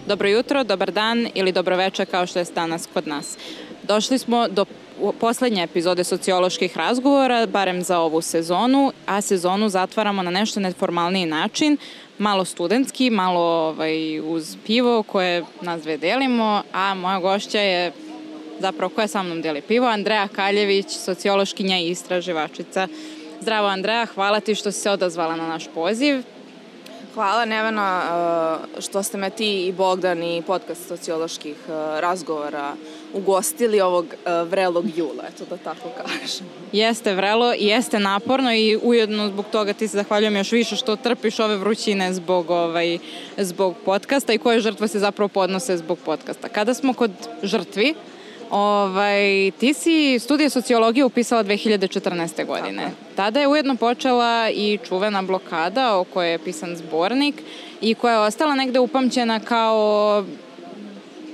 Dobro jutro, dobar dan ili dobroveče kao što je danas kod nas. Došli smo do poslednje epizode socioloških razgovora, barem za ovu sezonu, a sezonu zatvaramo na nešto neformalniji način, malo studentski, malo uz pivo koje nas dve delimo, a moja gošća je, zapravo koja sa mnom deli pivo, Andreja Kaljević, sociološkinja i istraživačica. Zdravo Andreja, hvala ti što si se odazvala na naš poziv. Hvala Nevena što ste me ti i Bogdan i podcast socioloških razgovora ugostili ovog vrelog jula, eto da tako kažem. Jeste vrelo i jeste naporno i ujedno zbog toga ti se zahvaljujem još više što trpiš ove vrućine zbog podcasta i koje žrtve se zapravo podnose zbog podcasta. Kada smo kod žrtvi, ti si studije sociologije upisala 2014. godine. Tako. Tada je ujedno počela i čuvena blokada o kojoj je pisan zbornik i koja je ostala negde upamćena kao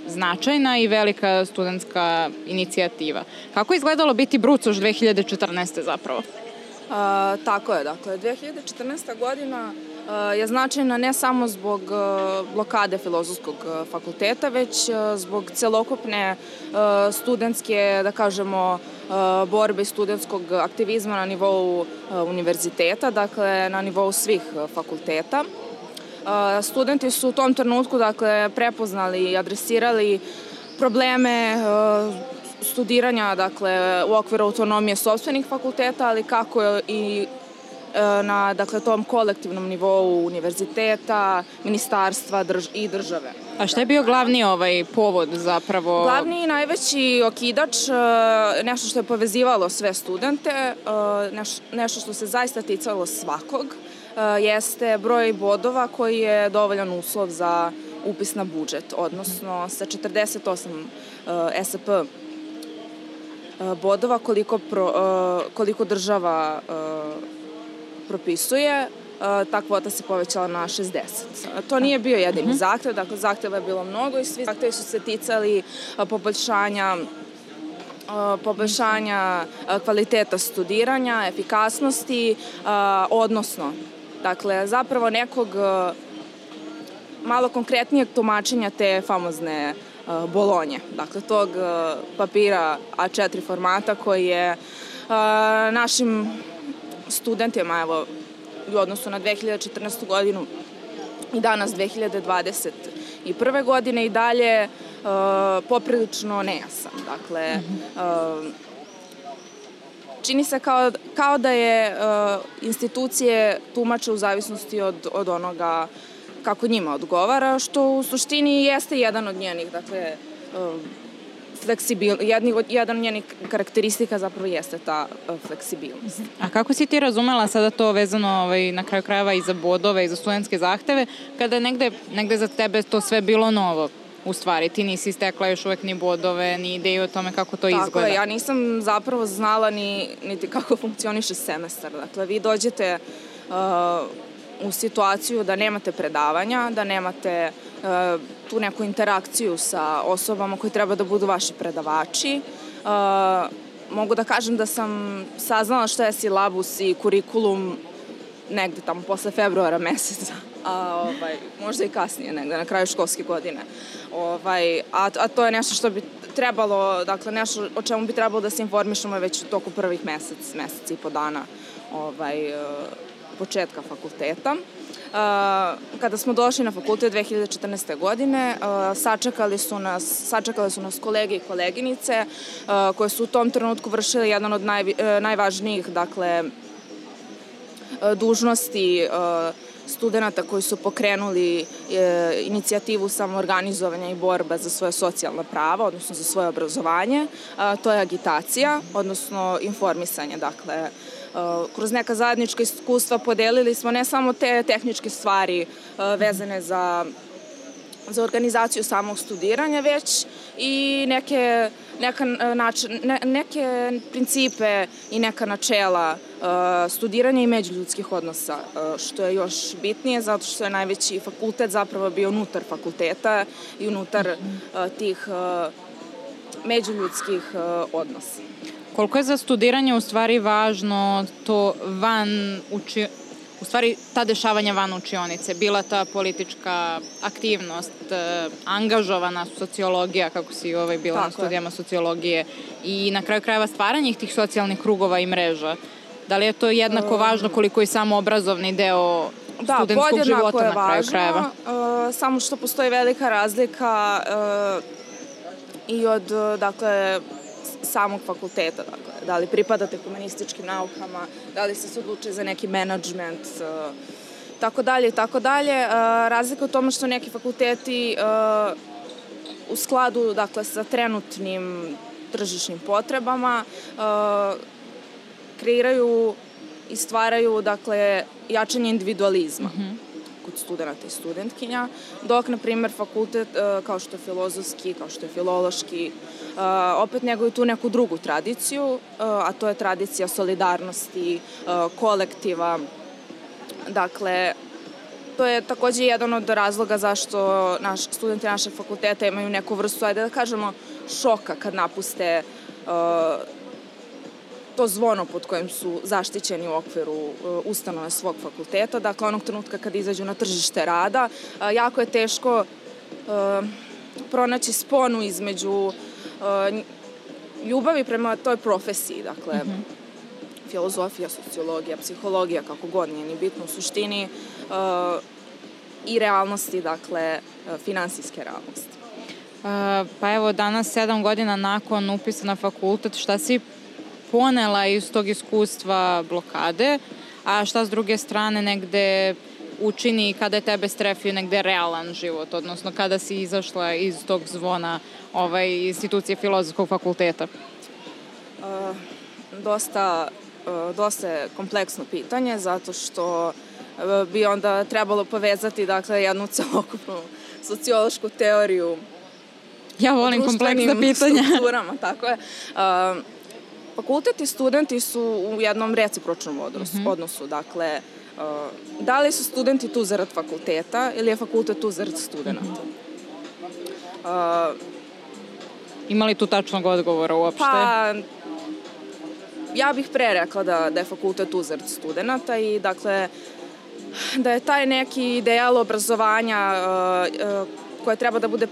značajna i velika studentska inicijativa. Kako je izgledalo biti brucoš 2014. zapravo? Tako je, dakle, 2014. godina je značajna ne samo zbog blokade Filozofskog fakulteta, već zbog celokupne studentske, da kažemo, borbe i studentskog aktivizma na nivou univerziteta, dakle, na nivou svih fakulteta. Studenti su u tom trenutku, dakle, prepoznali i adresirali probleme studiranja, dakle, u okviru autonomije sopstvenih fakulteta, ali kako i na, dakle, tom kolektivnom nivou univerziteta, ministarstva i države. A šta je bio glavni povod zapravo? Glavni i najveći okidač, nešto što je povezivalo sve studente, nešto što se zaista ticalo svakog, jeste broj bodova koji je dovoljan uslov za upis na budžet, odnosno sa 48 SP bodova koliko država propisuje, ta kvota se povećala na 60. To nije bio jedini zahtev, dakle zahteva je bilo mnogo i svi zahtevi su se ticali poboljšanja kvaliteta studiranja, efikasnosti, odnosno, dakle, zapravo nekog malo konkretnijeg tumačenja te famozne Bolonje, dakle tog papira A4 formata koji je našim studentima, evo, u odnosu na 2014. godinu i danas 2021. godine i dalje poprilično nejasan. Dakle, čini se kao da je institucije tumače u zavisnosti od onoga kako njima odgovara, što u suštini jeste jedan od njenih, dakle, jedan od njenih karakteristika zapravo jeste ta fleksibilnost. A kako si ti razumela sada to vezano na kraju krajeva i za bodove i za studentske zahteve, kada je negde za tebe to sve bilo novo? U stvari, ti nisi stekla još uvek ni bodove, ni ideju o tome kako to izgleda. Tako je, ja nisam zapravo znala niti kako funkcioniše semestar. Dakle, vi dođete u situaciju da nemate predavanja, da nemate tu neku interakciju sa osobama koji treba da budu vaši predavači. Mogu da kažem da sam saznala šta je silabus i kurikulum negde tamo posle februara meseca, a možda i kasnije negde, na kraju školske godine. A to je nešto što bi trebalo, dakle nešto o čemu bi trebalo da se informišemo već u toku prvih mesec i po dana početka fakulteta. Kada smo došli na fakultet 2014. godine, sačekale su nas kolege i koleginice koje su u tom trenutku vršili jedan od najvažnijih, dakle, dužnosti studenta koji su pokrenuli inicijativu samoorganizovanja i borba za svoje socijalna prava, odnosno za svoje obrazovanje. To je agitacija, odnosno informisanje. Dakle, kroz neka zajednička iskustva podelili smo ne samo te tehničke stvari vezane za organizaciju samog studiranja, već i neke principe i neka načela studiranja i međuljudskih odnosa, što je još bitnije zato što je najveći fakultet zapravo bio unutar fakulteta i unutar tih međuljudskih odnosa. Koliko je za studiranje u stvari važno to u stvari ta dešavanja van učionice, bila ta politička aktivnost, angažovana sociologija, kako si bila na studijama sociologije, i na kraju krajeva stvaranje tih socijalnih krugova i mreža. Da li je to jednako važno koliko i samo obrazovni deo studentskog života na kraju krajeva? Samo što postoji velika razlika i od, dakle, samog fakulteta, dakle, da li pripadate humanističkim naukama, da li ste se odlučili za neki menadžment, tako dalje i tako dalje. Razlika u tome što neki fakulteti u skladu, dakle, sa trenutnim tržišnim potrebama kreiraju i stvaraju, dakle, jačanje individualizma kod studenta i studentkinja, dok, na primjer, fakultet kao što je filozofski, kao što je filološki, opet neguju tu neku drugu tradiciju, a to je tradicija solidarnosti, kolektiva. Dakle, to je takođe jedan od razloga zašto studenti našeg fakulteta imaju neku vrstu, ajde da kažemo, šoka kad napuste to zvono pod kojim su zaštićeni u okviru ustanove svog fakulteta. Dakle, onog trenutka kad izađu na tržište rada, jako je teško pronaći sponu između ljubavi prema toj profesiji, dakle, filozofija, sociologija, psihologija, kako god, nije ni bitno u suštini, i realnosti, dakle, finansijske realnosti. Pa evo, danas 7 godina nakon upisa na fakultet, šta si ponela iz tog iskustva blokade, a šta s druge strane negde učini kada je tebe strefio negde realan život, odnosno kada si izašla iz tog zvona institucije Filozofskog fakulteta? Dosta je kompleksno pitanje, zato što bi onda trebalo povezati, dakle, jednu celokupnu sociološku teoriju. Ja volim kompleksna pitanja. Strukturama, tako je. Fakultet i studenti su u jednom recipročnom odnosu. Dakle, da li su studenti tu zarad fakulteta ili je fakultet tu zarad studenta? Ima li tu tačnog odgovora uopšte? Pa, ja bih pre rekla da je fakultet tu zarad studenta i, dakle, da je taj neki ideal obrazovanja koje treba da bude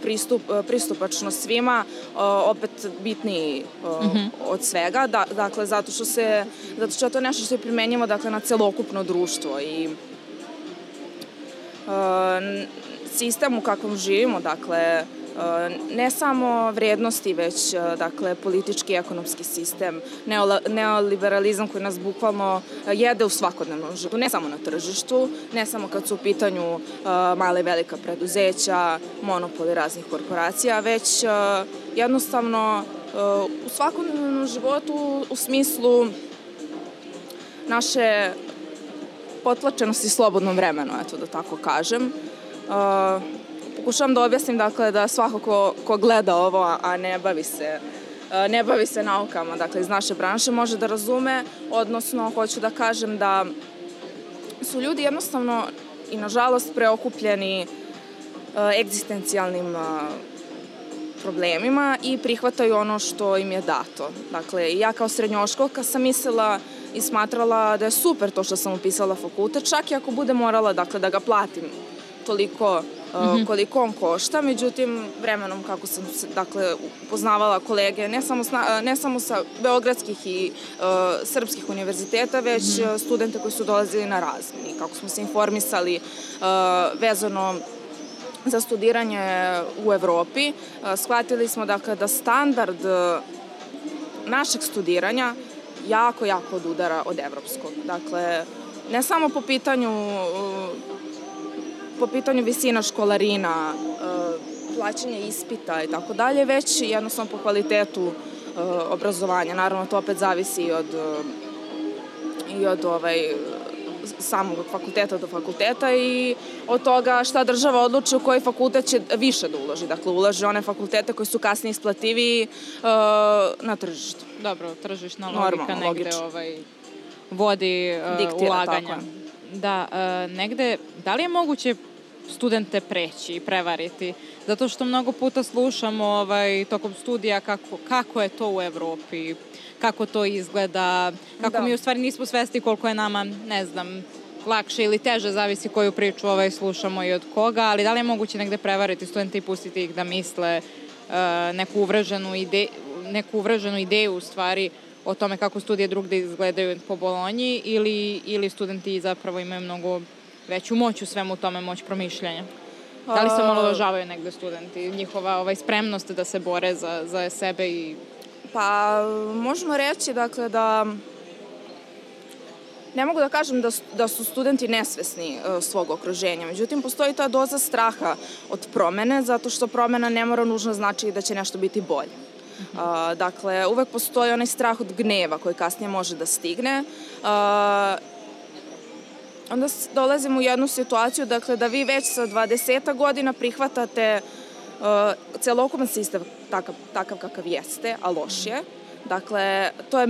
pristupačno svima, opet bitniji od svega, dakle, zato što je to nešto što je primenjivo, dakle, na celokupno društvo i sistem u kakvom živimo, dakle, ne samo vrednosti, već, dakle, politički i ekonomski sistem, neoliberalizam koji nas bukvalno jede u svakodnevnom životu, ne samo na tržištu, ne samo kad su u pitanju male i velika preduzeća, monopoli raznih korporacija, već jednostavno u svakodnevnom životu u smislu naše potlačenosti slobodnom vremenu, eto da tako kažem. Pokušavam da objasnim, dakle, da svako ko gleda ovo, a ne bavi se naukama, dakle, iz naše branše, može da razume, odnosno, hoću da kažem da su ljudi jednostavno i, nažalost, preokupljeni egzistencijalnim problemima i prihvataju ono što im je dato. Dakle, ja kao srednjoškolka sam mislila i smatrala da je super to što sam upisala fakultet, čak i ako bude morala, dakle, da ga platim toliko koliko on košta, međutim, vremenom kako sam, dakle, upoznavala kolege, ne samo sa beogradskih i srpskih univerziteta, već studente koji su dolazili na razmeni, kako smo se informisali vezano za studiranje u Evropi, shvatili smo, dakle, da standard našeg studiranja jako odudara od evropskog. Dakle, ne samo po pitanju visina školarina, plaćanja ispita i tako dalje, već jednostavno po kvalitetu obrazovanja. Naravno, to opet zavisi i od samog fakulteta do fakulteta i od toga šta država odluči u koji fakultet će više da uloži. Dakle, ulaže one fakultete koji su kasnije isplativiji na tržištu. Dobro, tržišna logika negde vodi ulaganja. Da, negde, da li je moguće studente preći i prevariti? Zato što mnogo puta slušamo tokom studija kako je to u Evropi, kako to izgleda, kako mi u stvari nismo svesni koliko je nama, ne znam, lakše ili teže, zavisi koju priču slušamo i od koga, ali da li je moguće negde prevariti studente i pustiti ih da misle neku uvreženu ideju u stvari o tome kako studije drugde izgledaju po Bolonji ili studenti zapravo imaju mnogo veću moć u svemu tome, moć promišljanja? Da li se omalovažavaju negde studenti, njihova spremnost da se bore za sebe i... Pa, možemo reći, dakle, da ne mogu da kažem da su studenti nesvesni svog okruženja, međutim, postoji ta doza straha od promene, zato što promena ne mora nužno znači da će nešto biti bolje. Dakle, uvek postoji onaj strah od gneva koji kasnije može da stigne. Onda dolazimo u jednu situaciju, dakle, da vi već sa 20 godina prihvatate celokupan sistem takav kakav jeste, a loš je. Dakle, to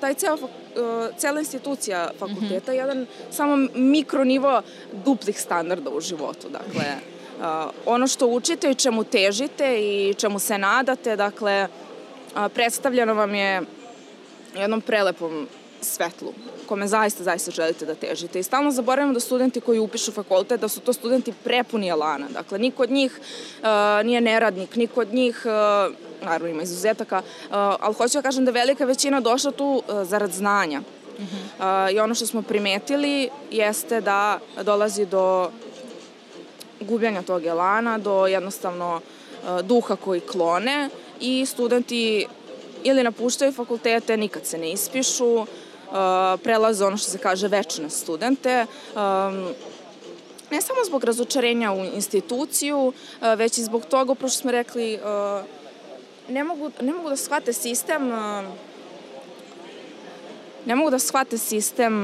je cela institucija fakulteta, jedan samo mikronivo duplih standarda u životu. Dakle, ono što učite i čemu težite i čemu se nadate, dakle, predstavljeno vam je jednom prelepom svetlu, kome zaista želite da težite. I stalno zaboravimo da studenti koji upišu fakultet, da su to studenti prepuni elana. Dakle, niko od njih nije neradnik, niko od njih, naravno ima izuzetaka, ali hoću da kažem da je velika većina došla tu zarad znanja. I ono što smo primetili jeste da dolazi do gubljenja tog elana, do jednostavno duha koji klone i studenti ili napuštaju fakultete, nikad se ne ispišu, prelaze ono što se kaže večne studente, ne samo zbog razočarenja u instituciju, već i zbog toga, upravo što smo rekli, ne mogu da shvate sistem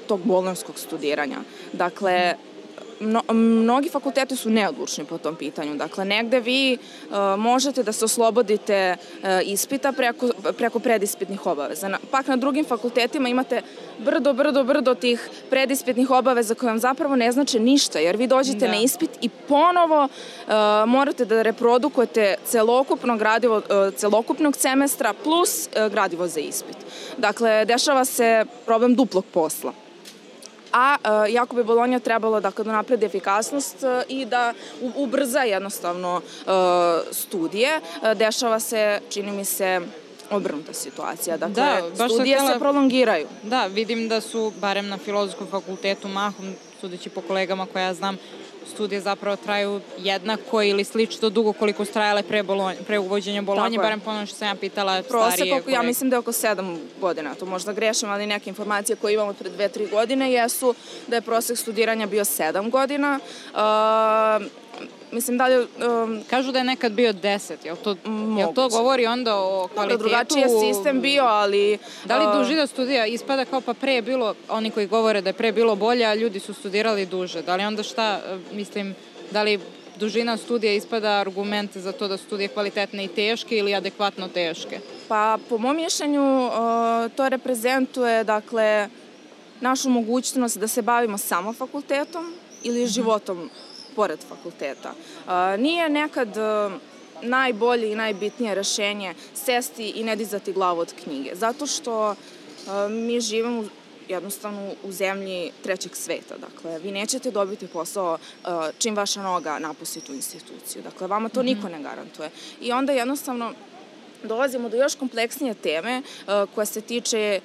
tog bolonjskog studiranja. Dakle, mnogi fakulteti su neodlučni po tom pitanju. Dakle, negde vi možete da se oslobodite ispita preko predispitnih obaveza. Pak na drugim fakultetima imate brdo tih predispitnih obaveza koje vam zapravo ne znače ništa, jer vi dođete na ispit i ponovo morate da reprodukujete celokupno gradivo celokupnog semestra plus gradivo za ispit. Dakle, dešava se problem duplog posla. A jako bi Bolonja trebalo da napredi efikasnost i da ubrza jednostavno studije. Dešava se, čini mi se, obrnuta situacija. Dakle, studije se prolongiraju. Da, vidim da su, barem na Filozofskom fakultetu, mahom, sudeći po kolegama koje ja znam, studije zapravo traju jednako ili slično dugo koliko su trajale pre uvođenja Bolonje, barem ponovno što sam ja pitala starije. Prosek, ja mislim da je oko 7 godina, to možda grešim, ali neke informacije koje imamo pred 2-3 godine jesu da je prosek studiranja bio 7 godina. Mislim da li... Kažu da je nekad bio 10, jel to govori onda o kvalitetu? Drugačiji je sistem bio, ali... Da li dužina studija ispada kao pa pre je bilo, oni koji govore da je pre bilo bolje, a ljudi su studirali duže. Da li onda da li dužina studija ispada argument za to da su studije kvalitetne i teške ili adekvatno teške? Pa, po mom mišljenju, to reprezentuje, dakle, našu mogućnost da se bavimo samo fakultetom ili životom pored fakulteta. Nije nekad najbolje i najbitnije rešenje sesti i ne dizati glavu od knjige, zato što mi živimo jednostavno u zemlji trećeg sveta. Dakle, vi nećete dobiti posao čim vaša noga napusti tu instituciju. Dakle, vama to niko ne garantuje. I onda jednostavno dolazimo do još kompleksnije teme koja se tiče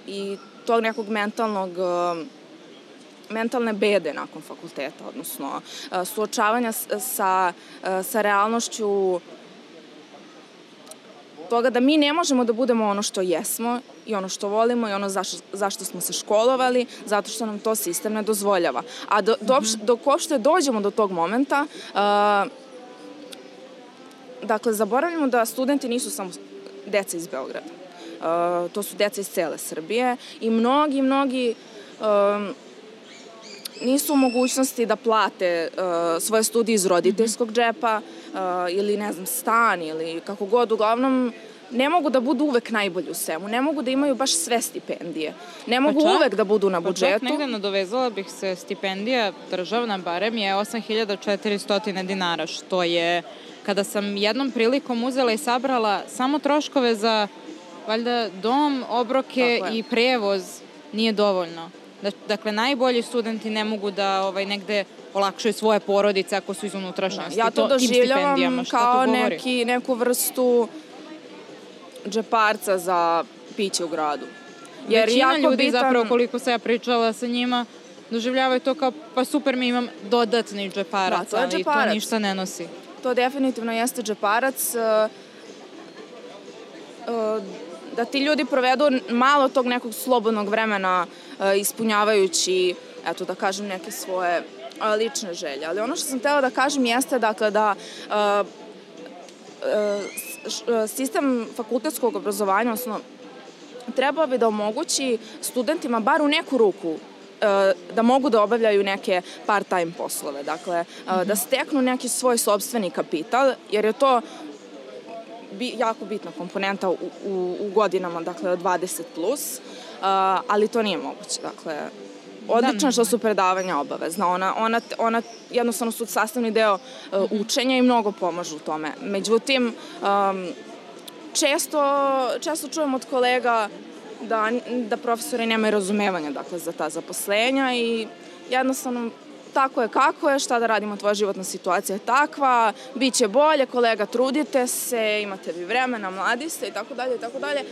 i tog nekog mentalne bede nakon fakulteta, odnosno suočavanja sa realnošću toga da mi ne možemo da budemo ono što jesmo i ono što volimo i ono zašto smo se školovali, zato što nam to sistem ne dozvoljava. A dok uopšte dođemo do tog momenta, dakle, zaboravljamo da studenti nisu samo deca iz Beograda. To su deca iz cele Srbije i mnogi nisu u mogućnosti da plate svoje studije iz roditeljskog džepa ili, ne znam, stan ili kako god. Uglavnom, ne mogu da budu uvek najbolji u svemu. Ne mogu da imaju baš sve stipendije. Ne mogu uvek da budu na budžetu. Pa čak negde nadovezala bih se, stipendija državna barem je 8.400 dinara, što je, kada sam jednom prilikom uzela i sabrala samo troškove za, valjda, dom, obroke i prevoz, nije dovoljno Dakle, najbolji studenti ne mogu da negde olakšaju svoje porodice ako su iz unutrašnjosti. Ja to doživljavam kao neku vrstu džeparca za piće u gradu. Većina ljudi zapravo, koliko se ja pričala sa njima, doživljavaju to kao, pa super, mi imam dodatni džeparac, ali to ništa ne nosi. To definitivno jeste džeparac. Da ti ljudi provedu malo tog nekog slobodnog vremena ispunjavajući, eto da kažem, neke svoje lične želje. Ali ono što sam htela da kažem jeste dakle da sistem fakultetskog obrazovanja, odnosno trebao bi da omogući studentima bar u neku ruku da mogu da obavljaju neke part-time poslove. Dakle, da steknu neki svoj sopstveni kapital, jer je to jako bitna komponenta u godinama, dakle, 20+, ali to nije moguće. Dakle, odlično što su predavanja obavezna. Ona jednostavno su sastavni deo učenja i mnogo pomažu u tome. Međutim, često čujem od kolega da profesori nemaju razumevanja za ta zaposlenja i jednostavno tako je kako je, šta da radimo, tvoja životna situacija je takva, bit će bolje, kolega, trudite se, imate vi vremena, mladi ste i tako dalje i tako dalje.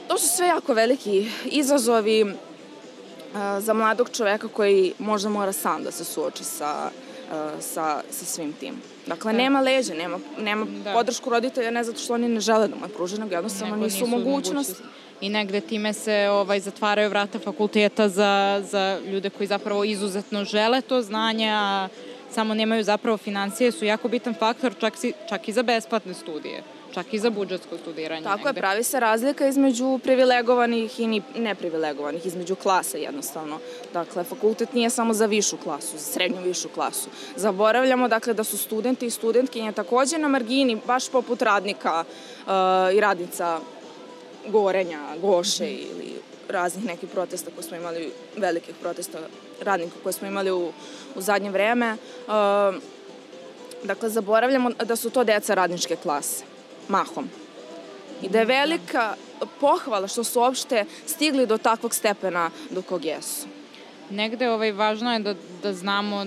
To su sve jako veliki izazovi za mladog čoveka koji možda mora sam da se suoči sa svim tim. Dakle, nema leđa, nema podršku roditelja, ne zato što oni ne žele da mu je pruže, nego jednostavno nisu u mogućnosti. I negde time se zatvaraju vrata fakulteta za ljude koji zapravo izuzetno žele to znanje, a samo nemaju zapravo financije, su jako bitan faktor čak i za besplatne studije, čak i za budžetsko studiranje. Tako je, pravi se razlika između privilegovanih i neprivilegovanih, između klasa jednostavno. Dakle, fakultet nije samo za višu klasu, za srednju višu klasu. Zaboravljamo, dakle, da su studenti i studentkinje takođe na margini, baš poput radnika i radnica Gorenja, Goše ili raznih nekih protesta koje smo imali, velikih protesta radnika koje smo imali u zadnje vreme. Dakle, zaboravljamo da su to deca radničke klase, mahom. I da je velika pohvala što su uopšte stigli do takvog stepena do kog jesu. Negde važno je da znamo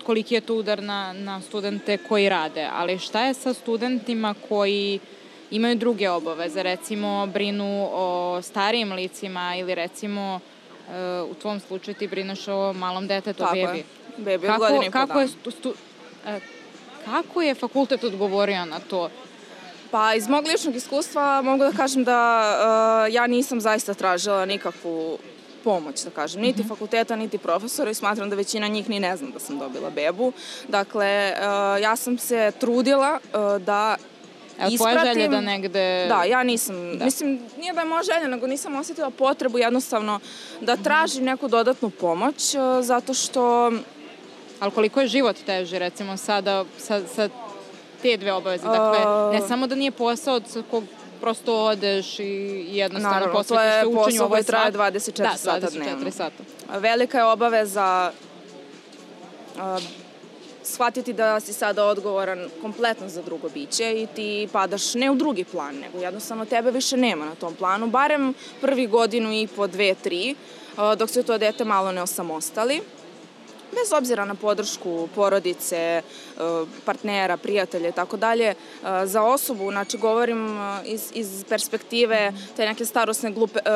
koliki je to udar na studente koji rade, ali šta je sa studentima koji imaju druge obaveze, recimo brinu o starijim licima ili recimo u tvom slučaju ti brineš o malom detetu, bebi. Tako je, bebi od godine i po dana. Kako je fakultet odgovorio na to? Pa iz mog ličnog iskustva mogu da kažem da ja nisam zaista tražila nikakvu pomoć, da kažem, niti fakulteta, niti profesora i smatram da većina njih ni ne zna da sam dobila bebu. Dakle, ja sam se trudila da ispratim. Tvoja želja da negde... Da, ja nisam, mislim, nije da je moja želja, nego nisam osjetila potrebu jednostavno da tražim neku dodatnu pomoć, zato što... Ali koliko je život teži, recimo, sada sa te dve obaveze? Dakle, ne samo da nije posao sa kog prosto odeš i jednostavno posvetiš se učenju. Naravno, to je posao koji traje 24 sata dnevno. 24 sata. Velika je obaveza shvatiti da si sada odgovoran kompletno za drugo biće i ti padaš ne u drugi plan, nego jednostavno tebe više nema na tom planu, barem prvi godinu i po, 2, 3, dok se to dete malo ne osamostali. Bez obzira na podršku porodice, partnera, prijatelja i tako dalje, za osobu, znači govorim iz perspektive te neke starosne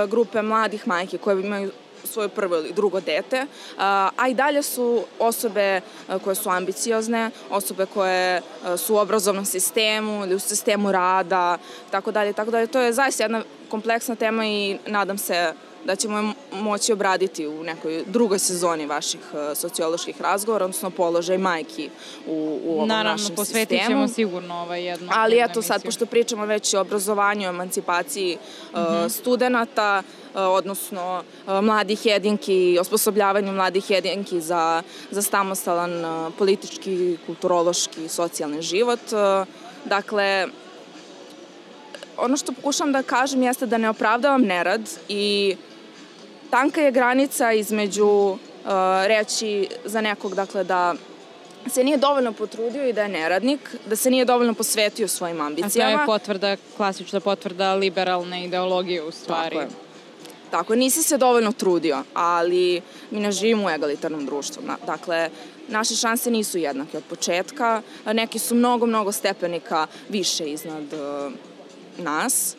grupe mladih majki koje imaju svoje prvo ili drugo dete, a i dalje su osobe koje su ambiciozne, osobe koje su u obrazovnom sistemu ili u sistemu rada, tako dalje, tako dalje. To je zaista jedna kompleksna tema i nadam se da ćemo moći obraditi u nekoj drugoj sezoni vaših socioloških razgovora, odnosno položaj majki u ovom našem sistemu. Naravno, posvetit ćemo sigurno jednu ali eto sad, pošto pričamo već o obrazovanju, o emancipaciji studenta, odnosno mladih jedinki, osposobljavanju mladih jedinki za samostalan politički, kulturološki, socijalni život. Dakle, ono što pokušam da kažem jeste da ne opravdavam nerad i tanka je granica između reći za nekog, dakle, da se nije dovoljno potrudio i da je neradnik, da se nije dovoljno posvetio svojim ambicijama. A to je klasična potvrda liberalne ideologije u stvari. Tako je. Tako, nisi se dovoljno trudio, ali mi ne živimo u egalitarnom društvu. Dakle, naše šanse nisu jednake od početka, neki su mnogo stepenika više iznad nas.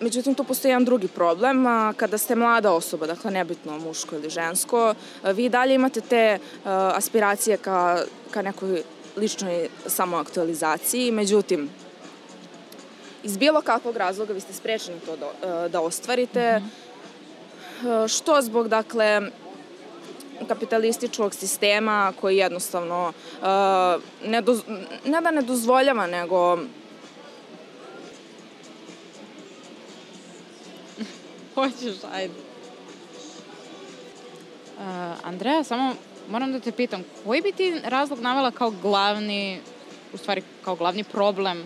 Međutim, tu postoji jedan drugi problem. Kada ste mlada osoba, dakle nebitno muško ili žensko, vi dalje imate te aspiracije ka nekoj ličnoj samoaktualizaciji. Međutim, iz bilo kakvog razloga vi ste sprečeni to da ostvarite, što zbog, dakle, kapitalističkog sistema koji jednostavno ne da ne dozvoljava, nego Hoćeš, ajde. Andreja, samo moram da te pitam, koji bi ti razlog navela kao glavni problem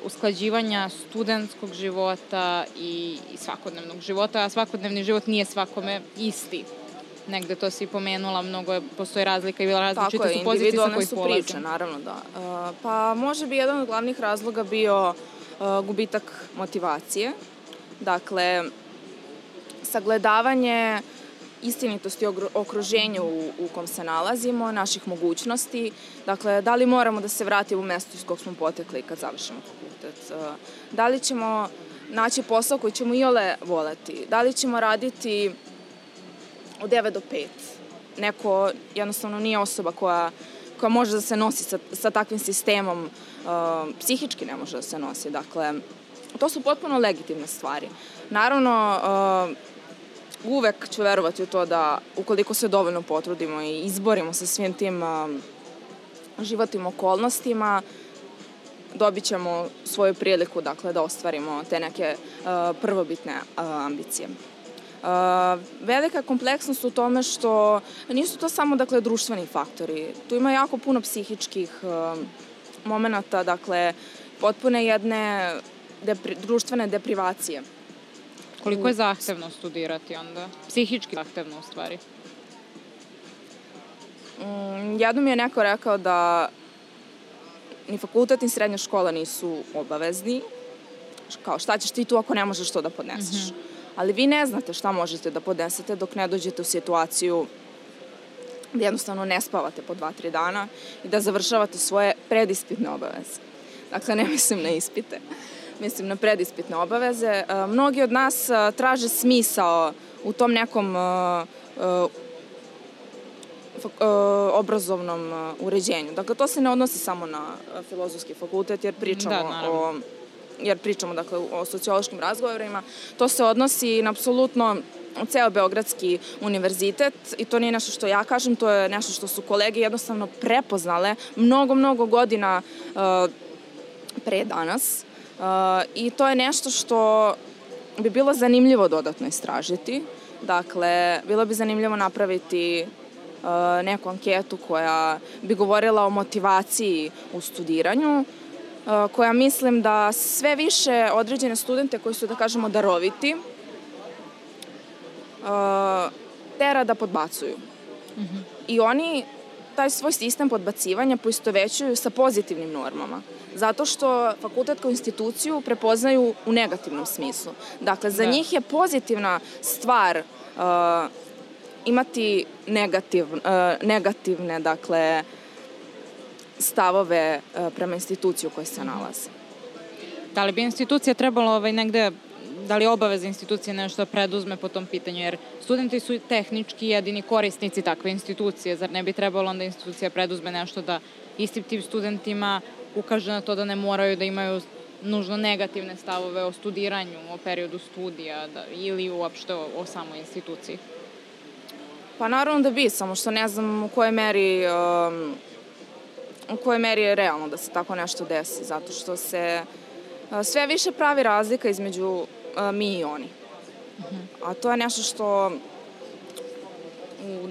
usklađivanja studentskog života i svakodnevnog života, a svakodnevni život nije svakome isti. Negde to si pomenula, postoji razlika i različite su pozicije sa kojih polaze. Tako je, individualne su priče, naravno, da. Pa može bi jedan od glavnih razloga bio gubitak motivacije. Dakle, sagledavanje istinitosti okruženja u kom se nalazimo, naših mogućnosti. Dakle, da li moramo da se vratimo u mesto iz kog smo potekli kad završimo fakultet? Da li ćemo naći posao koji ćemo iole voleti? Da li ćemo raditi od 9 do 5? Neko jednostavno nije osoba koja može da se nosi sa takvim sistemom, psihički ne može da se nosi. Dakle, to su potpuno legitimne stvari. Naravno, uvek ću verovati u to da ukoliko se dovoljno potrudimo i izborimo sa svim tim životnim okolnostima, dobit ćemo svoju priliku, dakle, da ostvarimo te neke prvobitne ambicije. Velika kompleksnost u tome što nisu to samo, dakle, društveni faktori. Tu ima jako puno psihičkih momenata, dakle, potpune jedne društvene deprivacije. Koliko je zahtevno studirati onda? Psihički zahtevno, u stvari. Jednom mi je neko rekao da ni fakultet ni srednja škola nisu obavezni. Kao, šta ćeš ti tu ako ne možeš to da podneseš? Ali vi ne znate šta možete da podnesete dok ne dođete u situaciju da jednostavno ne spavate po 2-3 dana i da završavate svoje predispitne obaveze. Dakle, ne mislim na ispite. Mislim na predispitne obaveze. Mnogi od nas traže smisao u tom nekom obrazovnom uređenju. Dakle, to se ne odnosi samo na filozofski fakultet, jer pričamo dakle, o sociološkim razgovorima. To se odnosi na apsolutno ceo Beogradski univerzitet i to nije nešto što ja kažem, to je nešto što su kolege jednostavno prepoznale mnogo godina pre danas. I to je nešto što bi bilo zanimljivo dodatno istražiti. Dakle, bilo bi zanimljivo napraviti neku anketu koja bi govorila o motivaciji u studiranju, koja mislim da sve više određene studente koji su, da kažemo, daroviti, tera da podbacuju. I oni taj svoj sistem podbacivanja poistovećuju sa pozitivnim normama. Zato što fakultet kao instituciju prepoznaju u negativnom smislu. Dakle, za njih je pozitivna stvar imati negativne, dakle, stavove prema instituciji u kojoj se nalaze. Da li bi institucija trebalo negde, da li obaveza institucije nešto da preduzme po tom pitanju, jer studenti su tehnički jedini korisnici takve institucije, zar ne bi trebalo onda institucija preduzme nešto da istim tim studentima ukaže na to da ne moraju da imaju nužno negativne stavove o studiranju, o periodu studija ili uopšte o samoj instituciji? Pa naravno da bi, samo što ne znam u kojoj meri je realno da se tako nešto desi, zato što se sve više pravi razlika između mi i oni. A to je nešto što u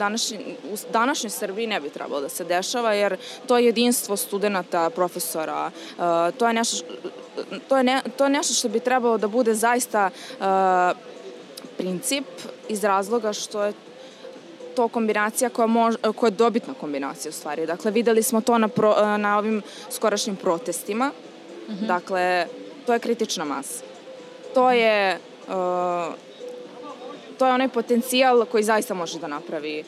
današnjoj Srbiji ne bi trebalo da se dešava, jer to je jedinstvo studenta, profesora, to je nešto što bi trebalo da bude zaista princip iz razloga što je to kombinacija koja je dobitna kombinacija u stvari. Dakle, videli smo to na ovim skorašnjim protestima. Dakle, to je kritična masa. To je to je onaj potencijal koji zaista može da napravi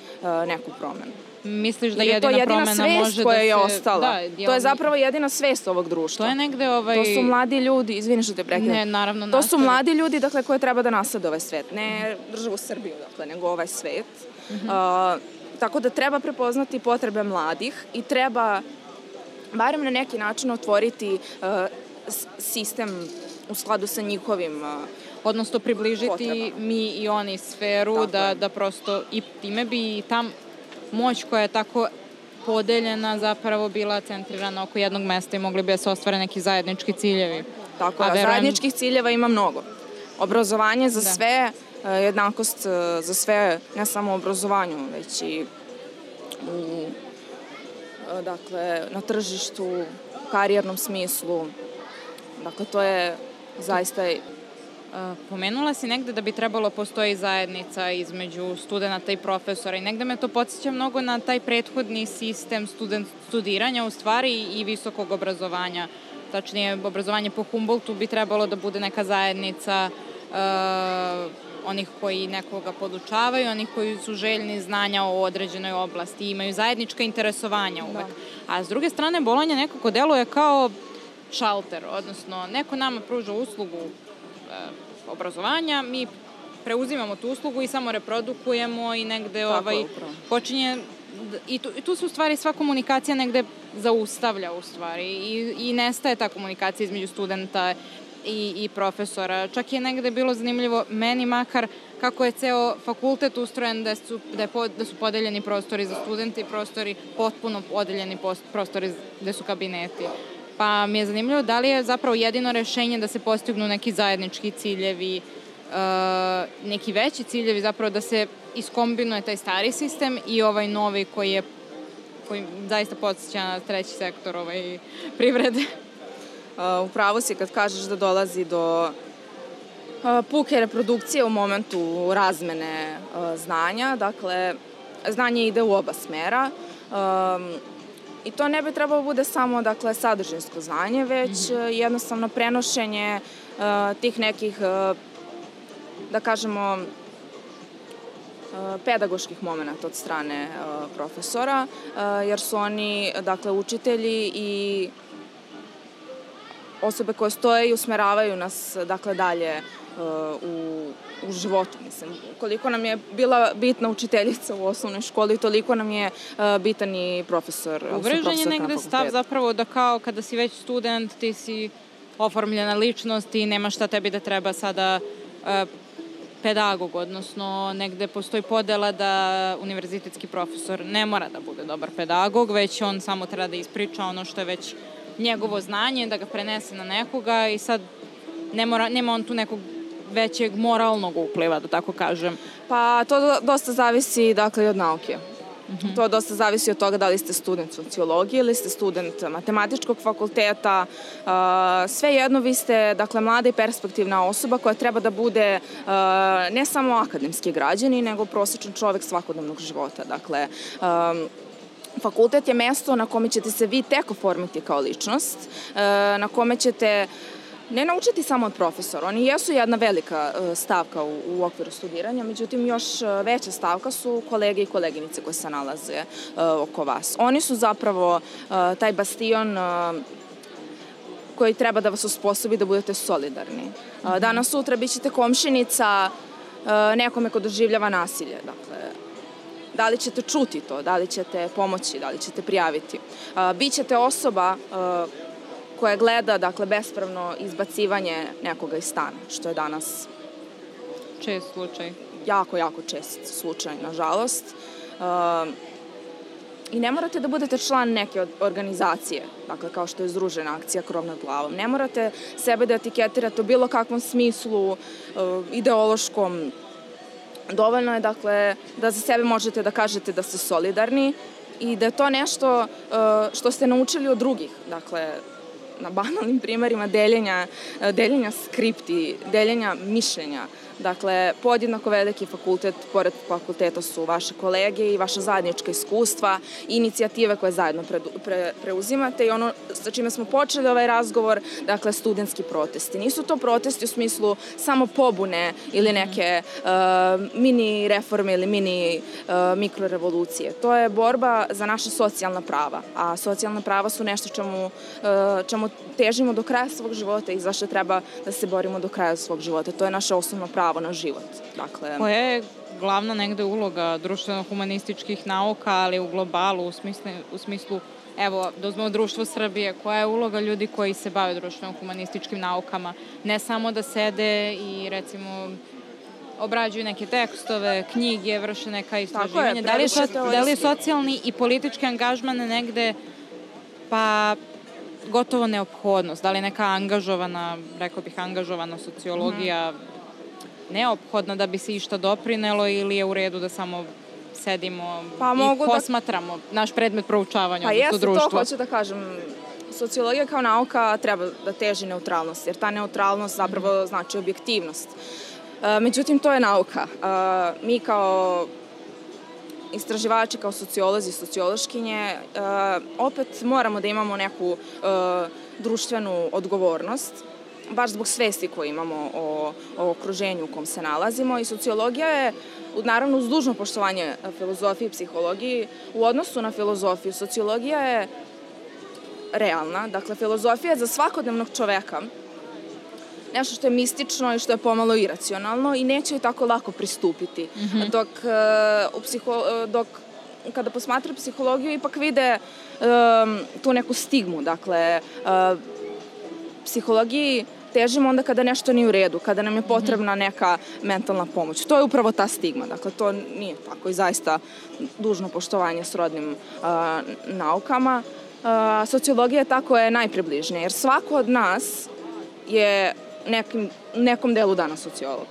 neku promenu. Misliš da jedina promena može da se... koja je ostala. To je zapravo jedina svest ovog društva. To je negde To su mladi ljudi, izvini što te prekidam. Ne, naravno. To su mladi ljudi, dakle, koje treba da naslede ovaj svet. Ne državu Srbiju, dakle, nego ovaj svet. Tako da treba prepoznati potrebe mladih i treba barem na neki način otvoriti sistem u skladu sa njihovim odnosno približiti potreba. Mi i oni sferu, da prosto i time bi tam moć koja je tako podeljena zapravo bila centrirana oko jednog mesta i mogli bi da se ostvare neki zajednički ciljevi. Tako je, zajedničkih ciljeva ima mnogo. Obrazovanje za sve, jednakost za sve, ne samo u obrazovanju, već i na tržištu, karijernom smislu. Dakle, to je zaista... Pomenula si negde da bi trebalo postoji zajednica između studenta i profesora i negde me to podsjeća mnogo na taj prethodni sistem studiranja u stvari i visokog obrazovanja. Tačnije, obrazovanje po Humboldtu bi trebalo da bude neka zajednica onih koji nekoga podučavaju, onih koji su željni znanja o određenoj oblasti i imaju zajednička interesovanja uvek. A s druge strane, Bolonja nekako deluje kao šalter, odnosno neko nama pruža uslugu obrazovanja, mi preuzimamo tu uslugu i samo reprodukujemo i negde počinje i tu se u stvari sva komunikacija negde zaustavlja u stvari i nestaje ta komunikacija između studenta i profesora. Čak je negde bilo zanimljivo meni makar kako je ceo fakultet ustrojen da su podeljeni prostori za studente i prostori potpuno podeljeni prostori gde su kabineti. Pa mi je zanimljivo da li je zapravo jedino rešenje da se postignu neki zajednički ciljevi, neki veći ciljevi, zapravo da se iskombinuje taj stari sistem i ovaj novi koji zaista podsjeća na treći sektor privrede. Upravo si kad kažeš da dolazi do puke reprodukcije u momentu razmene znanja. Dakle, znanje ide u oba smera. I to ne bi trebalo bude samo, dakle, sadržinsko znanje, već jednostavno prenošenje tih nekih, da kažemo, pedagoških momenta od strane profesora, jer su oni, dakle, učitelji i osobe koje stoje i usmeravaju nas, dakle, dalje u životu, mislim. Koliko nam je bila bitna učiteljica u osnovnoj školi, toliko nam je bitan i profesor. Uvrežen je negde stav zapravo da kao kada si već student, ti si oformljena ličnost i nema šta tebi da treba sada pedagog, odnosno negde postoji podela da univerzitetski profesor ne mora da bude dobar pedagog, već on samo treba da ispriča ono što je već njegovo znanje, da ga prenese na nekoga i sad nema on tu nekog većeg moralnog upliva, da tako kažem. Pa to dosta zavisi, dakle, i od nauke. To dosta zavisi od toga da li ste student sociologije ili ste student matematičkog fakulteta. Svejedno vi ste, dakle, mlada i perspektivna osoba koja treba da bude ne samo akademski građanin, nego prosječan čovek svakodnevnog života. Dakle, fakultet je mesto na kome ćete se vi tek oformiti kao ličnost, na kome ćete ne naučiti samo od profesora. Oni jesu jedna velika stavka u okviru studiranja, međutim još veća stavka su kolege i koleginice koje se nalaze oko vas. Oni su zapravo taj bastion koji treba da vas osposobi da budete solidarni. Danas sutra bit ćete komšinica nekome ko doživljava nasilje. Dakle, da li ćete čuti to, da li ćete pomoći, da li ćete prijaviti. Bićete osoba koja gleda, dakle, bespravno izbacivanje nekoga iz stana, što je danas čest slučaj. Jako, jako čest slučaj, nažalost. I ne morate da budete član neke organizacije, dakle, kao što je Združena akcija Krov nad glavom. Ne morate sebe da etiketirate u bilo kakvom smislu ideološkom. Dovoljno je, dakle, da za sebe možete da kažete da ste solidarni i da je to nešto što ste naučili od drugih, dakle, na banalnim primerima deljenja skripti, deljenja mišljenja, Dakle, podjednako veliki fakultet, pored fakulteta su vaše kolege i vaša zajednička iskustva, inicijative koje zajedno preuzimate i ono sa čime smo počeli ovaj razgovor, dakle, studentski protesti. Nisu to protesti u smislu samo pobune ili neke mini reforme ili mini mikrorevolucije. To je borba za naša socijalna prava, a socijalna prava su nešto čemu težimo do kraja svog života i zašto treba da se borimo do kraja svog života. To je naše osnovno pravo na život. Dakle, koja je glavna negde uloga društveno-humanističkih nauka, ali u globalu, u smislu, evo, da uzmemo Društvo Srbije, koja je uloga ljudi koji se bave društveno-humanističkim naukama? Ne samo da sede i, recimo, obrađuju neke tekstove, knjige, vrše neka istraživanja. Da li je socijalni i politički angažman negde, pa gotovo neophodnost? Da li je neka angažovana, rekao bih, angažovana sociologija neophodna da bi se išta doprinelo ili je u redu da samo sedimo i posmatramo naš predmet proučavanja, odnosno društvo? Pa jeste, to hoću da kažem. Sociologija kao nauka treba da teži neutralnost, jer ta neutralnost zapravo znači objektivnost. Međutim, to je nauka. Mi kao istraživači, kao sociolozi, sociološkinje, opet moramo da imamo neku društvenu odgovornost, baš zbog svesti koju imamo o okruženju u kom se nalazimo. I sociologija je, naravno uz dužno poštovanje filozofiji i psihologiji, u odnosu na filozofiju, sociologija je realna. Dakle, filozofija je za svakodnevnog čoveka nešto što je mistično i što je pomalo iracionalno i neće joj tako lako pristupiti. Dok kada posmatra psihologiju ipak vide tu neku stigmu. Dakle, psihologiji težimo onda kada nešto nije u redu, kada nam je potrebna neka mentalna pomoć. To je upravo ta stigma. Dakle, to nije tako i zaista dužno poštovanje srodnim naukama. Sociologija tako je najpribližnija, jer svako od nas je nekom delu dana sociolog.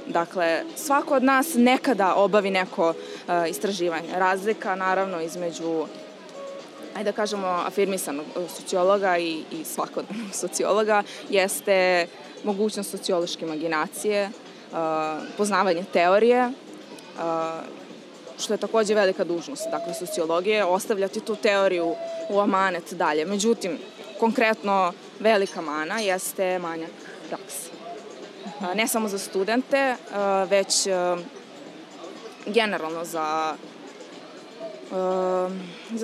Dakle, svako od nas nekada obavi neko istraživanje. Razlika, naravno, između, ajde da kažemo, afirmisanog sociologa i svakodnevnog sociologa jeste mogućnost sociološke imaginacije, poznavanje teorije, što je takođe velika dužnost, dakle, sociologije, ostavljati tu teoriju u amanet dalje. Međutim, konkretno velika mana jeste manjak prakse. Ne samo za studente, već generalno za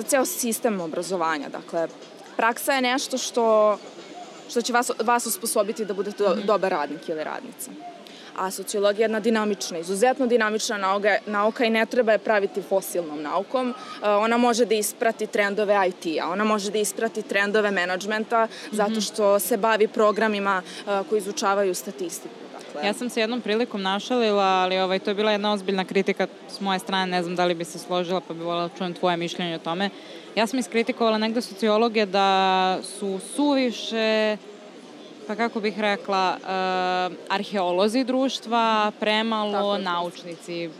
ceo sistem obrazovanja. Dakle, praksa je nešto što će vas osposobiti da budete dobar radnik ili radnica. A sociologija je jedna dinamična, izuzetno dinamična nauka i ne treba je praviti fosilnom naukom. Ona može da isprati trendove IT-a, ona može da isprati trendove menadžmenta zato što se bavi programima koji izučavaju statistiku. Ja sam se jednom prilikom našalila, ali to je bila jedna ozbiljna kritika s moje strane, ne znam da li bi se složila, pa bi voljela da čujem tvoje mišljenje o tome. Ja sam iskritikovala negde sociologije da su suviše, pa kako bih rekla, arheolozi društva, premalo naučnici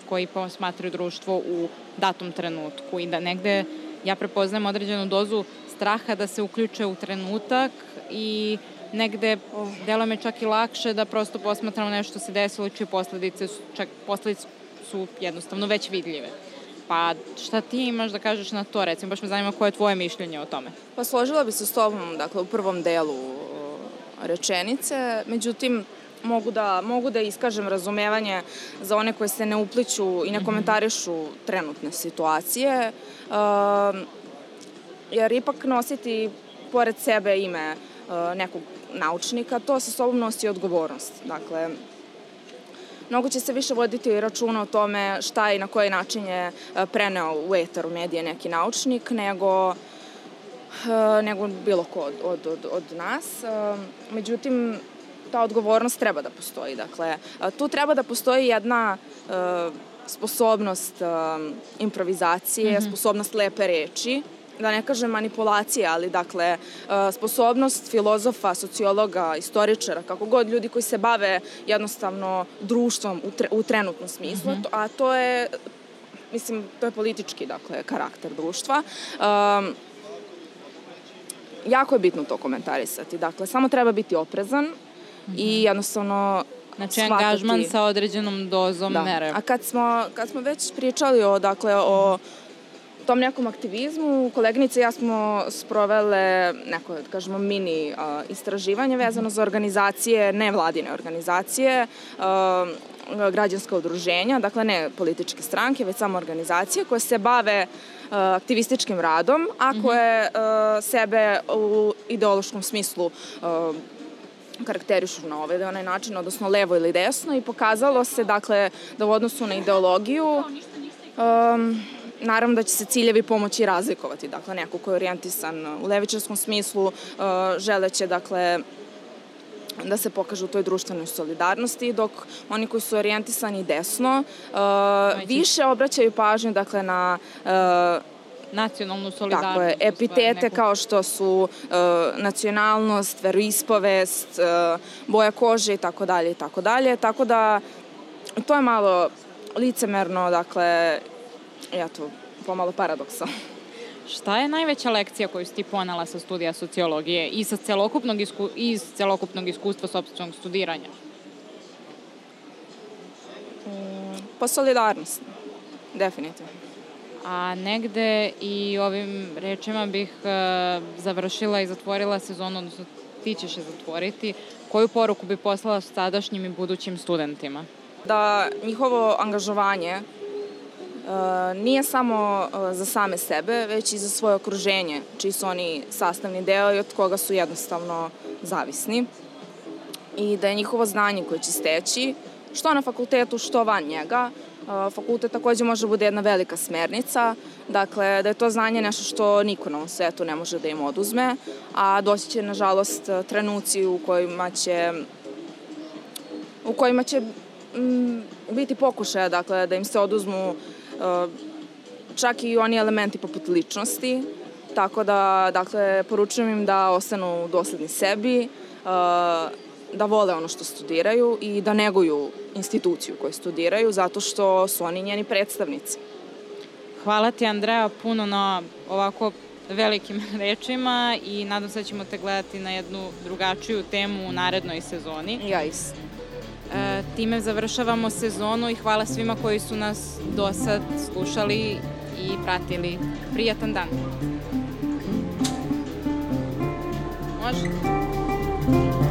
koji posmatraju društvo u datom trenutku i da negde ja prepoznajem određenu dozu straha da se uključe u trenutak i negde delo me čak i lakše da prosto posmatramo nešto se desilo čije posledice su jednostavno već vidljive. Pa šta ti imaš da kažeš na to, recimo, baš me zanima koje je tvoje mišljenje o tome? Pa složila bi se s tobom, dakle, u prvom delu rečenice, međutim, mogu da iskažem razumevanje za one koje se ne upliću i ne komentarišu trenutne situacije, jer ipak nositi pored sebe ime nekog naučnika, to sa sobom nosi odgovornost. Dakle, mnogo će se više voditi računa o tome šta i na koji način je preneo u etar, u medije neki naučnik, nego bilo ko od nas. Međutim, ta odgovornost treba da postoji. Dakle, tu treba da postoji jedna sposobnost improvizacije, sposobnost lepe reči, da ne kažem manipulacije, ali dakle sposobnost filozofa, sociologa, istoričara, kako god ljudi koji se bave jednostavno društvom u trenutnom smislu, a to je, mislim, to je politički, dakle, karakter društva. Jako je bitno to komentarisati. Dakle, samo treba biti oprezan i jednostavno Znači, angažman sa određenom dozom mere. A kad smo već pričali o tom nekom aktivizmu, koleginice i ja smo sprovele neko, da kažemo, mini istraživanje vezano za organizacije, nevladine organizacije, građanska udruženja, dakle ne političke stranke, već samo organizacije koje se bave aktivističkim radom, a koje sebe u ideološkom smislu karakterišu na ovaj ili onaj način, odnosno levo ili desno, i pokazalo se, dakle, da u odnosu na ideologiju naravno da će se ciljevi pomoći razlikovati. Dakle, neko ko je orijentisan u levičarskom smislu želeće, dakle, da se pokaže u toj društvenoj solidarnosti, dok oni koji su orijentisani desno više obraćaju pažnju, dakle, na nacionalnu solidarnost. Tako je, epitete kao što su nacionalnost, veroispovest, boja kože i tako dalje i tako dalje. Tako da to je malo licemerno, dakle, eto, pomalo paradoksa. Šta je najveća lekcija koju si ti ponela sa studija sociologije i iz celokupnog iskustva sopstvenog studiranja? Pa solidarnost, definitivno. A negde i ovim rečima bih završila i zatvorila sezonu, odnosno ti ćeš je zatvoriti. Koju poruku bi poslala sadašnjim i budućim studentima? Da njihovo angažovanje nije samo za same sebe, već i za svoje okruženje, čiji su oni sastavni deo i od koga su jednostavno zavisni. I da je njihovo znanje koje će steći, što na fakultetu, što van njega. Fakultet takođe može bude jedna velika smernica, dakle da je to znanje nešto što niko na ovom svetu ne može da im oduzme, a doći će, nažalost, trenuci u kojima će biti pokušaja, dakle, da im se oduzmu čak i oni elementi poput ličnosti, tako da, dakle, poručujem im da ostanu dosledni sebi, da vole ono što studiraju i da neguju instituciju koju studiraju, zato što su oni njeni predstavnici. Hvala ti, Andreja, puno na ovako velikim rečima i nadam se da ćemo te gledati na jednu drugačiju temu u narednoj sezoni. Ja isto. Time završavamo sezonu i hvala svima koji su nas do sad slušali i pratili. Prijatan dan. Može?